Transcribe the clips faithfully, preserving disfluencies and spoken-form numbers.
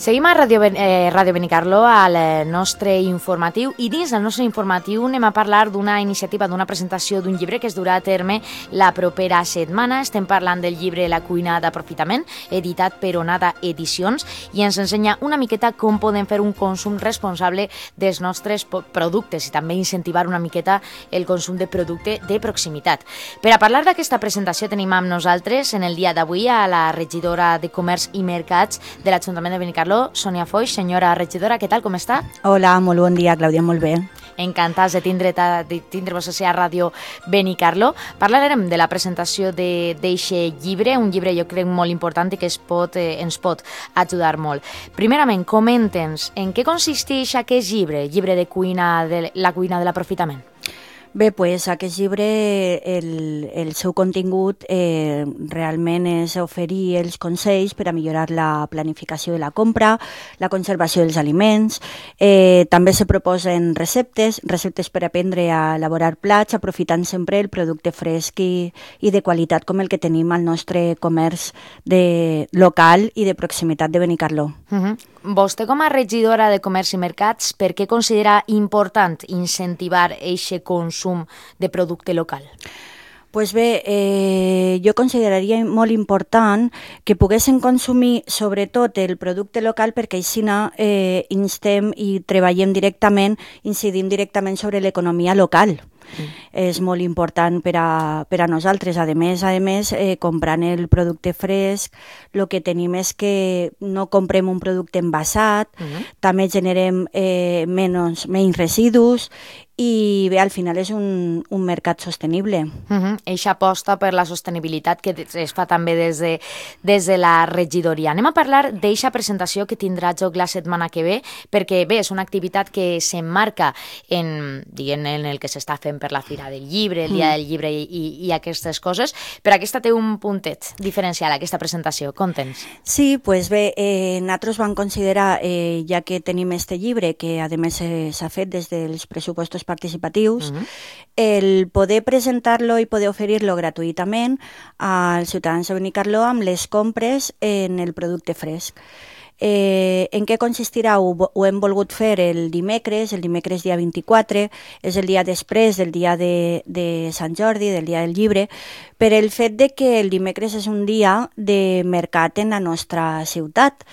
Seguim a Ràdio, eh, Ràdio Benicarló, al nostre informatiu, i dins del nostre informatiu anem a parlar d'una iniciativa, d'una presentació d'un llibre que es durà a terme la propera setmana. Estem parlant del llibre La cuina d'aprofitament, editat per Onada Edicions, i ens ensenya una miqueta com podem fer un consum responsable dels nostres productes i també incentivar una miqueta el consum de producte de proximitat. Per a parlar d'aquesta presentació tenim amb nosaltres en el dia d'avui a la regidora de Comerç i Mercats de l'Ajuntament de Benicarló, Sònia Foix. Senyora regidora, què tal, com està? Hola, molt bon dia, Clàudia, molt bé. Encantats de tindre de tindre-vos a Ràdio Benicarló. Parlarem de la presentació d'aquest llibre, un llibre jo crec molt important i que es pot, eh, ens pot ajudar molt. Primerament, comenta'ns en què consisteix aquest llibre, llibre de cuina, de la cuina de l'aprofitament. Bé, doncs aquest llibre, el, el seu contingut eh, realment és oferir els consells per a millorar la planificació de la compra, la conservació dels aliments, eh, també se proposen receptes, receptes per aprendre a elaborar plats, aprofitant sempre el producte fresc i, i de qualitat com el que tenim al nostre comerç de, local i de proximitat de Benicarló. Uh-huh. Vostè, com a regidora de Comerç i Mercats, per què considera important incentivar aquest consum de producte local? Pues bé, eh, jo consideraria molt important que poguessin consumir sobretot el producte local perquè així eh, instem i treballem directament, incidim directament sobre l'economia local. Mm. És molt important per a, per a nosaltres. A més, a més eh, comprant el producte fresc, el que tenim és que no comprem un producte envasat, mm. també generem eh, menys, menys residus i bé, al final és un, un mercat sostenible. Uh-huh. Eixa aposta per la sostenibilitat que es fa també des de, des de la regidoria. Anem a parlar d'eixa presentació que tindrà joc la setmana que ve, perquè bé, és una activitat que s'emmarca en, diguem, en el que s'està fent per la Fira del Llibre, el Dia del Llibre i, i, i aquestes coses, però aquesta té un puntet diferencial, aquesta presentació. Conta'ns. Sí, doncs bé, eh, nosaltres vam considerar, eh, ja que tenim este llibre, que a més eh, s'ha fet des dels pressupostos participatius, uh-huh. el poder presentar-lo i poder oferir-lo gratuïtament als ciutadans de Benicarló amb les compres en el producte fresc. Eh, en què consistirà? Ho, ho hem volgut fer el dimecres, el dimecres dia vint-i-quatre, és el dia després del dia de, de Sant Jordi, del dia del llibre, per el fet de que el dimecres és un dia de mercat en la nostra ciutat.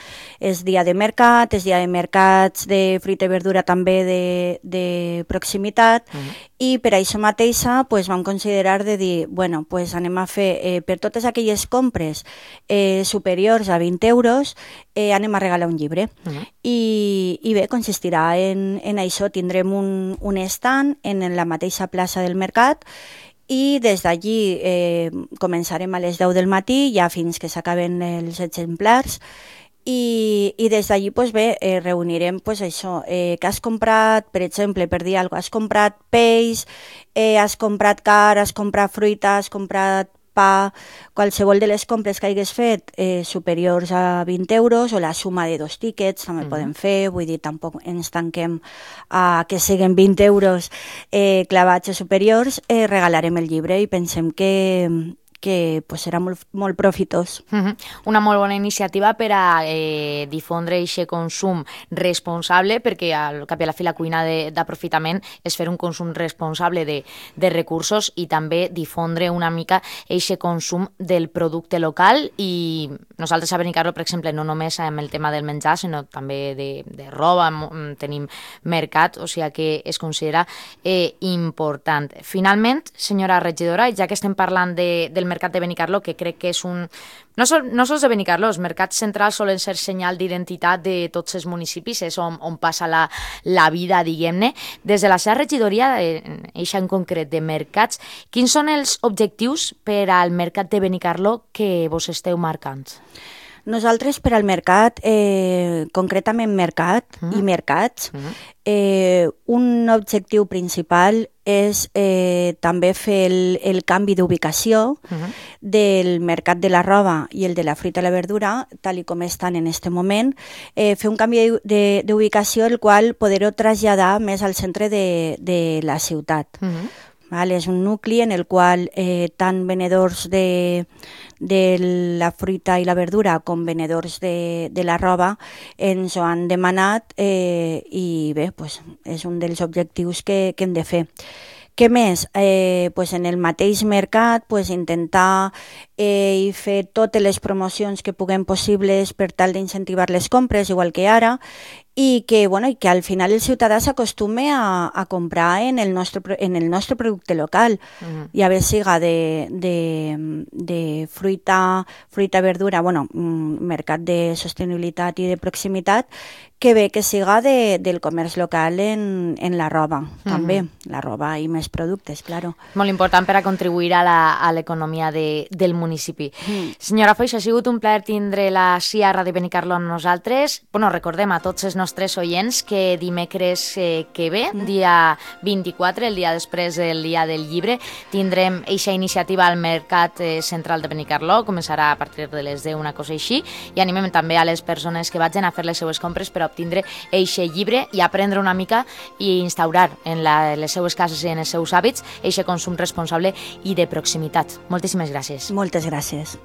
És dia de mercat, és dia de mercats de fruita i verdura també de, de proximitat, uh-huh. i per això mateixa pues, vam considerar de dir, bueno, pues anem a fer eh, per totes aquelles compres eh, superiors a vint euros, eh, anem a regalar un llibre. Uh-huh. I, I bé, consistirà en, en això. Tindrem un, un stand en la mateixa plaça del mercat i des d'allí eh, començarem a les deu del matí, ja fins que s'acaben els exemplars, i, i des d'allí pues bé, eh, reunirem pues això, eh, que has comprat, per exemple, per dir alguna cosa, has comprat peix, eh, has comprat carn, has comprat fruita, has comprat pa, qualsevol de les compres que hagués fet eh, superiors a vint euros o la suma de dos tíquets també uh-huh. podem fer, vull dir, tampoc ens tanquem a que siguin vint euros eh, clavats o superiors, eh, regalarem el llibre i pensem que que pues, serà molt, molt profitós. Uh-huh. Una molt bona iniciativa per a eh, difondre aquest consum responsable, perquè al cap i a la fi la cuina d'aprofitament és fer un consum responsable de, de recursos i també difondre una mica aquest consum del producte local. I nosaltres a Benicarló, per exemple, no només amb el tema del menjar, sinó també de, de roba, tenim mercat, o sigui que es considera eh, important. Finalment, senyora regidora, ja que estem parlant de, del mercat de Benicarló, que crec que és un... No, sol, no sols de Benicarló, els mercats centrals solen ser senyal d'identitat de tots els municipis, és on, on passa la, la vida, diguem-ne. Des de la seva regidoria, eixa en concret de mercats, quins són els objectius per al mercat de Benicarló que vos esteu marcant? Nosaltres per al mercat, eh, concretament mercat uh-huh. i mercats, uh-huh. eh, un objectiu principal és eh, també fer el, el canvi d'ubicació uh-huh. del mercat de la roba i el de la fruita i la verdura, tal i com estan en aquest moment, eh, fer un canvi d'ubicació el qual poder-ho traslladar més al centre de, de la ciutat. Uh-huh. Val? És un nucli en el qual eh, tant venedors de, de la fruita i la verdura com venedors de, de la roba ens ho han demanat eh, i bé, pues, és un dels objectius que, que hem de fer. Què més? Eh, pues en el mateix mercat pues intentar eh, fer totes les promocions que puguem possibles per tal d'incentivar les compres, igual que ara, i que, bueno, i que al final el ciutadà s'acostume a, a comprar en el nostre, en el nostre producte local, uh-huh. ja bé siga de, de, de fruita, fruita, verdura, bueno, mercat de sostenibilitat i de proximitat, que bé que siga de, del comerç local en, en la roba, uh-huh. també, la roba i més productes, claro. Molt important per a contribuir a l'economia de, del municipi. Mm. Senyora Foix, ha sigut un plaer tindre la C I A Ràdio Benicarló amb nosaltres. Bueno, recordem a tots els nostres oients que dimecres eh, que ve, mm. dia vint-i-quatre, el dia després del dia del llibre, tindrem eixa iniciativa al Mercat eh, Central de Benicarló, començarà a partir de les deu, una cosa així, i animem també a les persones que vagin a fer les seues compres per obtindre eixe llibre i aprendre una mica i instaurar en la, les seues cases i en els seus hàbits eixe consum responsable i de proximitat. Moltíssimes gràcies. Moltes gràcies.